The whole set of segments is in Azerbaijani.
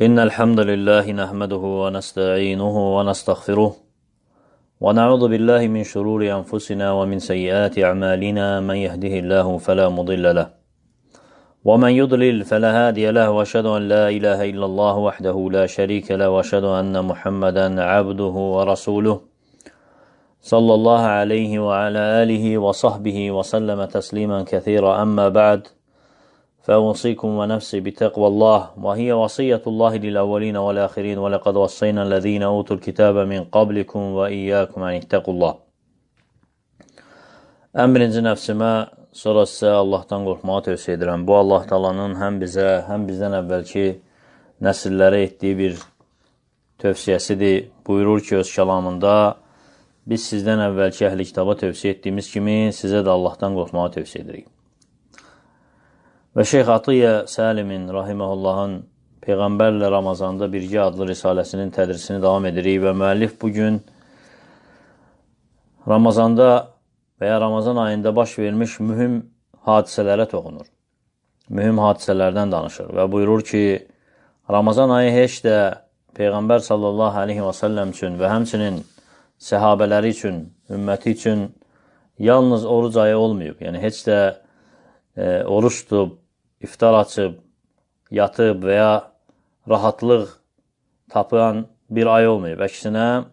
إن الحمد لله نحمده ونستعينه ونستغفره ونعوذ بالله من شرور أنفسنا ومن سيئات أعمالنا من يهده الله فلا مضل له ومن يضلل فلا هادي له وأشهد أن لا إله إلا الله وحده لا شريك له وأشهد أن محمدا عبده ورسوله صلى الله عليه وعلى آله وصحبه وسلم تسليما كثيرا أما بعد فأوصيكم ونفسي بتقوى الله وهي وصية الله للأولين والآخرين ولقد وصينا الذين أوتوا الكتاب من قبلكم وإياكم أن اتقوا الله. Ən birinci nəfsimə, sonra sizə Allahdan qorxmağı tövsiyə edirəm. Bu Allah Taala'nın həm bizə, həm bizdən əvvəlki nəsillərə etdiyi bir tövsiyəsidir. Buyurur ki, öz kəlamında, biz sizdən əvvəlki əhli kitaba tövsiyə etdiyimiz kimi sizə də Allahdan qorxmağı tövsiyə edirik. Və Şeyx Atiyyə Səlimin Rahiməhullahın Peyğəmbərlə Ramazanda Birgə adlı risaləsinin tədrisini davam edirik və müəllif bugün Ramazanda və ya Ramazan ayında baş vermiş mühüm hadisələrə toxunur. Mühüm hadisələrdən danışır və buyurur ki, Ramazan ayı heç də Peyğəmbər sallallahu aleyhi və səlləm üçün və həmçinin səhabələri üçün, ümməti üçün yalnız oruc ayı olmayıb. Yəni, heç də oruç tutub, iftar açıb, yatıb və ya rahatlıq tapılan bir ay olmayıb. Əksinə,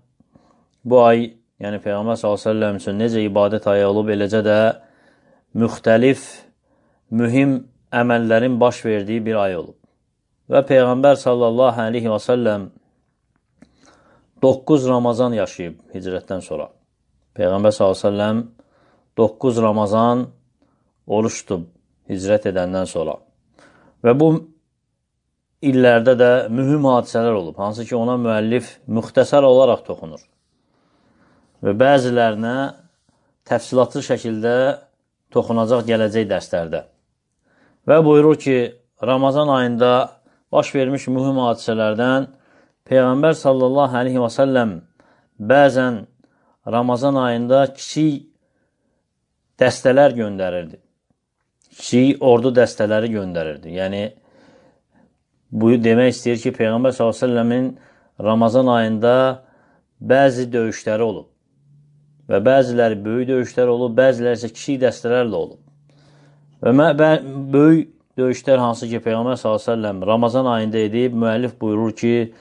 bu ay, yəni Peyğəmbər s.ə.v üçün necə ibadət ayı olub, eləcə də müxtəlif, mühüm əməllərin baş verdiyi bir ay olub. Və Peyğəmbər s.ə.v 9 Ramazan yaşayıb hicrətdən sonra. Peyğəmbər s.ə.v 9 Ramazan oruç tutub hicrət edəndən sonra. Və bu illərdə də mühüm hadisələr olub, hansı ki ona müəllif müxtəsər olaraq toxunur. Və bəzilərinə təfsilatlı şəkildə toxunacaq gələcək dərslərdə. Və buyurur ki, Ramazan ayında baş vermiş mühüm hadisələrdən Peyğəmbər sallallahu aleyhi və səlləm bəzən Ramazan ayında kiçik dəstələr göndərirdi. Kiçik ordu dəstələri göndərirdi. Yəni, bu demək istəyir ki, Peyğəmbər s.ə.v-in Ramazan ayında bəzi döyüşləri olub. Və bəziləri böyük döyüşlər olub, bəziləri isə kiçik dəstələrlə olub. Və böyük döyüşlər hansı ki, Peyğəmbər s.ə.v Ramazan ayında edib, müəllif buyurur ki,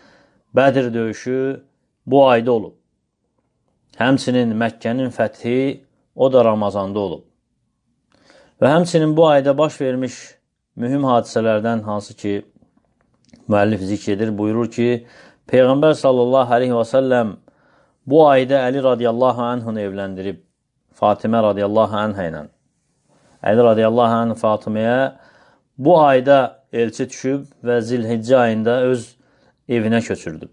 Bədir döyüşü bu ayda olub. Həmçinin Məkkənin fəthi o da Ramazanda olub. Və həmçinin bu ayda baş vermiş mühüm hadisələrdən hansı ki, müəllif zikr edir, buyurur ki, Peyğəmbər sallallahu aleyhi və səlləm bu ayda Əli radiyallahu anhını evləndirib, Fatimə radiyallahu anhə ilə. Əli radiyallahu anh Fatiməyə bu ayda elçi düşüb və Zilhiccə ayında öz evinə köçürdü.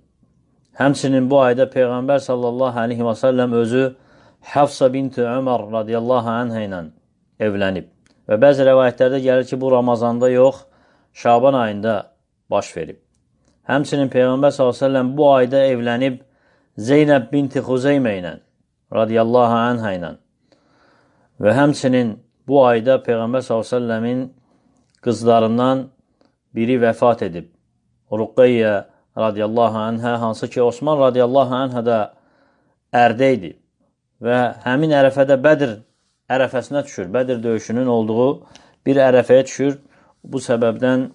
Həmçinin bu ayda Peyğəmbər sallallahu aleyhi və səlləm özü Hafsa binti Ömər radiyallahu anhə ilə evlənib. Və bəzi rəvayətlərdə gəlir ki, bu Ramazanda yox, Şaban ayında baş verib. Həmçinin Peyğəmbər s.ə.v bu ayda evlənib Zeynəb binti Xuzeymə ilə, radiyallahu anhə ilə. Və həmçinin bu ayda Peyğəmbər s.ə.v-in qızlarından biri vəfat edib. Ruqayyə radiyallahu anhə, hansı ki, Osman radiyallahu anhə də ərdə idi. Və həmin ərəfədə Bədir ərəfəsinə düşür. Bədir döyüşünün olduğu bir ərəfəyə düşür. Bu səbəbdən,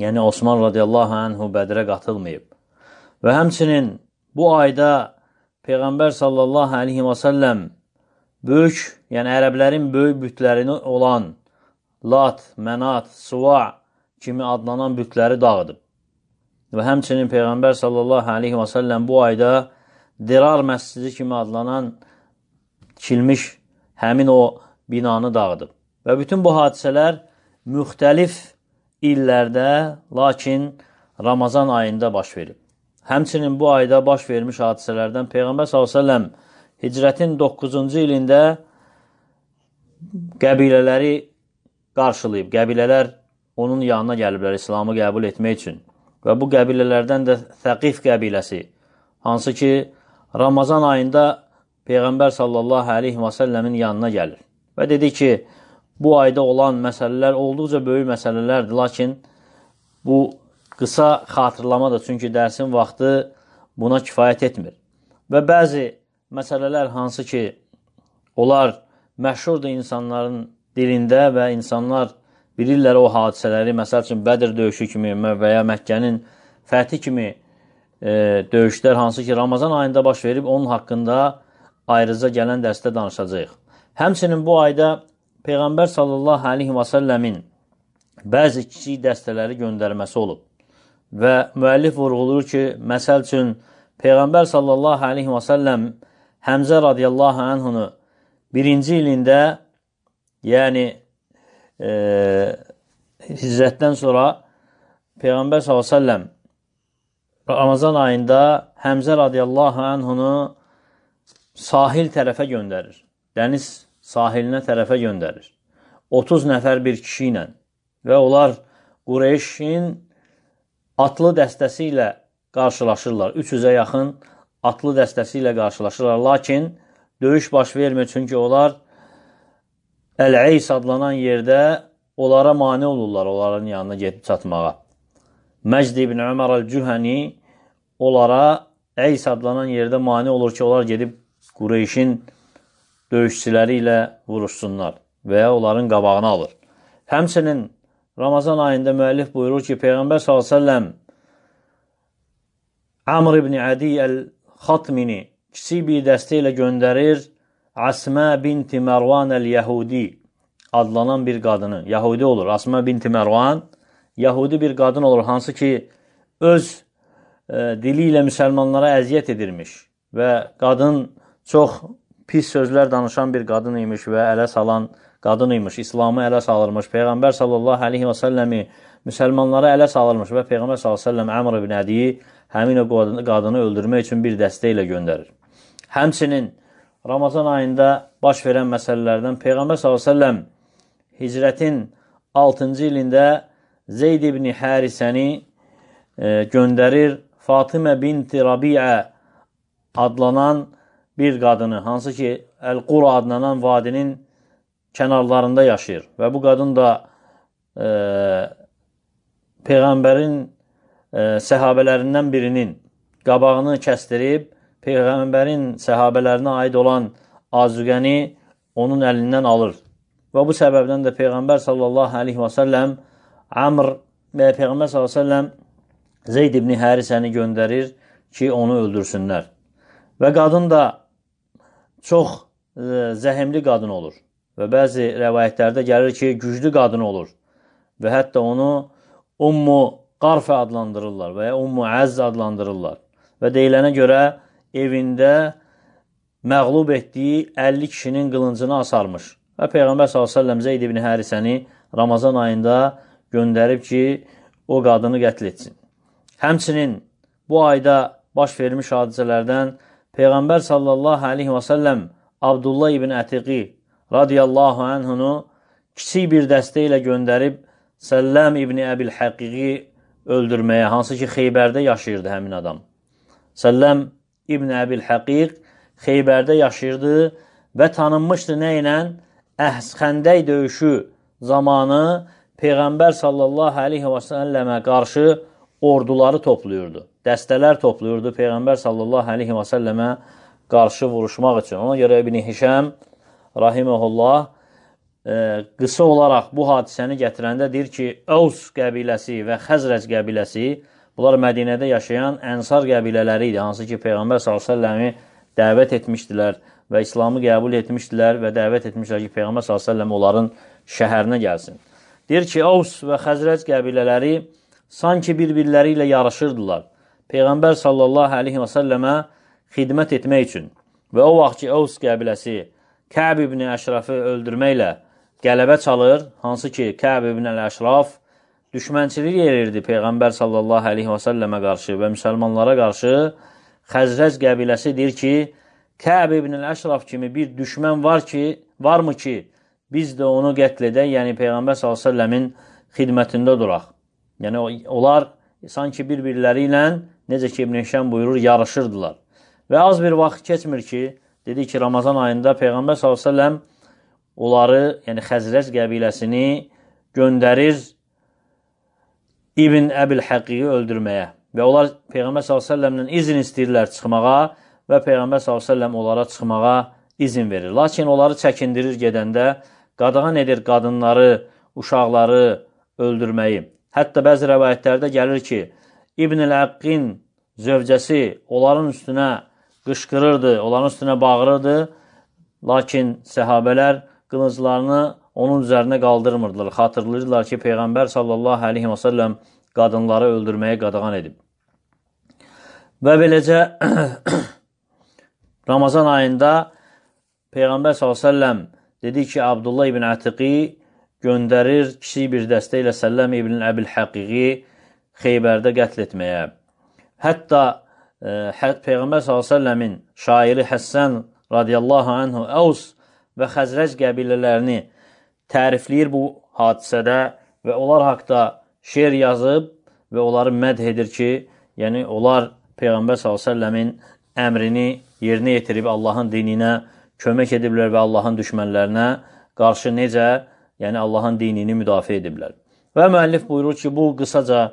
yəni Osman radiyallahu anhu Bədirə qatılmayıb. Və həmçinin bu ayda Peyğəmbər sallallahu aleyhi və səlləm böyük, yəni ərəblərin böyük bütlərini olan Lat, Mənat, Suva kimi adlanan bütləri dağıdıb. Və həmçinin Peyğəmbər sallallahu aleyhi və səlləm bu ayda Dirar məscidi kimi adlanan tikilmiş həmin o binanı dağıdıb. Və bütün bu hadisələr müxtəlif illərdə, lakin Ramazan ayında baş verib. Həmçinin bu ayda baş vermiş hadisələrdən Peyğəmbər s.ə.v hicrətin 9-cu ilində qəbilələri qarşılayıb. Qəbilələr onun yanına gəliblər İslamı qəbul etmək üçün. Və bu qəbilələrdən də Thəqif qəbiləsi, hansı ki, Ramazan ayında Peyğəmbər sallallahu aleyhi və səlləmin yanına gəlir. Və dedi ki, bu ayda olan məsələlər olduqca böyük məsələlərdir, lakin bu qısa xatırlamadır, çünki dərsin vaxtı buna kifayət etmir. Və bəzi məsələlər hansı ki, onlar məşhurdur insanların dilində və insanlar bilirlər o hadisələri, məsəl üçün Bədir döyüşü kimi və ya Məkkənin fəthi kimi döyüşlər hansı ki, Ramazan ayında baş verib, onun haqqında ayrıca gələn dərsdə danışacağıq. Həmçinin bu ayda Peyğəmbər sallallahu aleyhi və səlləmin bəzi kiçik dəstələri göndərməsi olub. Və müəllif vurğulur ki, məsəl üçün, Peyğəmbər sallallahu aleyhi və səlləm Həmzə radiyallahu anhunu birinci ilində, yəni hicrətdən sonra Peyğəmbər sallallahu aleyhi və səlləm Ramazan ayında Həmzə radiyallahu anhunu sahil tərəfə göndərir. Dəniz sahilinə tərəfə göndərir. 30 nəfər bir kişi ilə və onlar Qureyşin atlı dəstəsi ilə qarşılaşırlar. 300-ə yaxın atlı dəstəsi ilə qarşılaşırlar. Lakin döyüş baş vermir, çünki onlar Əl-Əys adlanan yerdə onlara mane olurlar, onların yanına gedib çatmağa. Məcd ibn Ömər Əl-Cühəni onlara Əys adlanan yerdə mane olur ki, onlar gedib Qureyşin döyüşçüləri ilə vuruşsunlar və ya onların qabağını alır. Həmçinin Ramazan ayında müəllif buyurur ki, Peyğəmbər s.ə.v Amr ibn Adi Əl-Xatmini kiçik bir dəstə ilə göndərir Əsmə binti Mərvan Əl-Yəhudi adlanan bir qadını. Yahudi olur. Əsmə binti Mərvan Yahudi bir qadın olur, hansı ki, öz dili ilə müsəlmanlara əziyyət edirmiş və qadın çox pis sözlər danışan bir qadın imiş və ələ salan qadın imiş, İslamı ələ salırmış. Peyğəmbər sallallahu aleyhi və səlləmi müsəlmanlara ələ salırmış və Peyğəmbər sallallahu aleyhi və səlləm Əmr ibn Ədiyi həmin o qadını öldürmək üçün bir dəstə ilə göndərir. Həmçinin Ramazan ayında baş verən məsələlərdən Peyğəmbər sallallahu aleyhi və səlləm hicrətin 6-cı ilində Zeyd ibn Hərisəni göndərir Fatimə binti Rabiə adlanan bir qadını, hansı ki, Əl-Qura adlanan vadinin kənarlarında yaşayır. Və bu qadın da Peyğəmbərin səhabələrindən birinin qabağını kəsdirib, Peyğəmbərin səhabələrinə aid olan azüqəni onun əlindən alır. Və bu səbəbdən də Peyğəmbər sallallahu aleyhi və səlləm Amr və Peyğəmbər sallallahu aleyhi və səlləm Zeyd ibn Hərisəni göndərir ki, onu öldürsünlər. Və qadın da çox zəhimli qadın olur. Və bəzi rəvayətlərdə gəlir ki, güclü qadın olur. Və hətta onu Ummu Qarfə adlandırırlar və ya Ummu Əzz adlandırırlar. Və deyilənə görə evində məğlub etdiyi 50 kişinin qılıncını asarmış. Və Peyğəmbər s.ə.v Zeyd ibn Hərisəni Ramazan ayında göndərib ki, o qadını qətl etsin. Həmçinin bu ayda baş vermiş hadisələrdən Peyğəmbər sallallahu aleyhi və səlləm Abdullah ibn Ətiqi radiyallahu anhunu kiçik bir dəstə ilə göndərib Səlləm ibn Əbil Həqiqi öldürməyə, hansı ki, Xeybərdə yaşayırdı həmin adam. Səlləm ibn Əbil Həqiq Xeybərdə yaşayırdı və tanınmışdı nə ilə? Xəndək döyüşü zamanı Peyğəmbər sallallahu aleyhi və səlləmə qarşı orduları toplayırdı. Dəstələr toplayırdı Peyğəmbər sallallahu aleyhi və səlləmə qarşı vuruşmaq üçün. Ona görə İbn Hişəm rahiməhullah qısa olaraq bu hadisəni gətirəndə deyir ki, Əvs qəbiləsi və Xəzrəc qəbiləsi, bunlar Mədinədə yaşayan Ənsar qəbilələri idi, hansı ki, Peyğəmbər s.ə.v dəvət etmişdilər və İslamı qəbul etmişdilər və dəvət etmişlər ki, Peyğəmbər s.ə.v onların şəhərinə gəlsin. Deyir ki, Əvs və Xəzrəc qəbilələri sanki bir-birləri ilə yarışırdılar. Peyğəmbər sallallahu aleyhi və səlləmə xidmət etmək üçün. Və o vaxt ki, Əvs qəbiləsi Kəb ibn Əşrafı öldürməklə qələbə çalır, hansı ki, Kəb ibn Əşraf düşmənçilik edirdi Peyğəmbər sallallahu aleyhi və səlləmə qarşı və müsəlmanlara qarşı. Xəzrəc qəbiləsi deyir ki, Kəb ibn Əşraf kimi bir düşmən varmı ki, biz də onu qətl edək, yəni Peyğəmbər sallallahu aleyhi və səlləmin xidmətində duraq. Yəni, onlar sanki bir-birləri ilə, necə ki, İbn Hişəm buyurur, yarışırdılar. Və az bir vaxt keçmir ki, dedi ki, Ramazan ayında Peyğəmbər s.ə.v onları, yəni Xəzrəc qəbiləsini göndərir İbn Əbil Həqiqi öldürməyə və onlar Peyğəmbər s.ə.v-lə izin istəyirlər çıxmağa və Peyğəmbər s.ə.v onlara çıxmağa izin verir. Lakin onları çəkindirir gedəndə, qadağan edir qadınları, uşaqları öldürməyi. Hətta bəzi rəvayətlərdə gəlir ki, İbn-i Əqqin zövcəsi onların üstünə qışqırırdı, onların üstünə bağırırdı, lakin səhabələr qılınclarını onun üzərinə qaldırmırdılar. Xatırlayırlar ki, Peyğəmbər sallallahu aleyhi və səlləm qadınları öldürməyə qadağan edib. Və beləcə Ramazan ayında Peyğəmbər sallallahu aleyhi və səlləm dedi ki, Abdullah ibn Ətiqi göndərir kiçik bir dəstə ilə Səlləm ibn Əbil Həqiqi Xeybərdə qətl etməyə. Hətta Peyğəmbər s.ə.v-in şairi Həssən radiyallahu anhu Əvs və Xəzrəc qəbilələrini tərifləyir bu hadisədə və onlar haqda şeir yazıb və onları mədh edir ki, yəni onlar Peyğəmbər s.ə.v-in əmrini yerinə yetirib Allahın dininə kömək ediblər və Allahın düşmənlərinə qarşı necə, yəni Allahın dinini müdafiə ediblər. Və müəllif buyurur ki, bu qısaca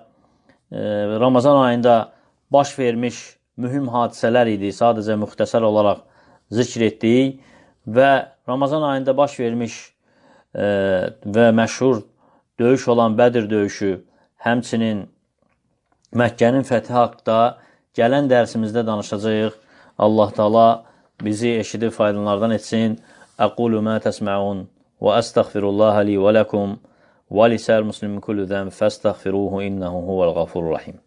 Ramazan ayında baş vermiş mühüm hadisələr idi, sadəcə müxtəsər olaraq zikr etdik və Ramazan ayında baş vermiş və məşhur döyüş olan Bədir döyüşü, həmçinin Məkkənin fəthi haqda gələn dərsimizdə danışacağıq. Allah Taala bizi eşidib faydalardan etsin. Aqulu ma təsməun və əstəğfirullaha li və ləkum və lisəl muslimin kullu zəm fəstəğfiruhu innehu huvəl ğafurur rahim.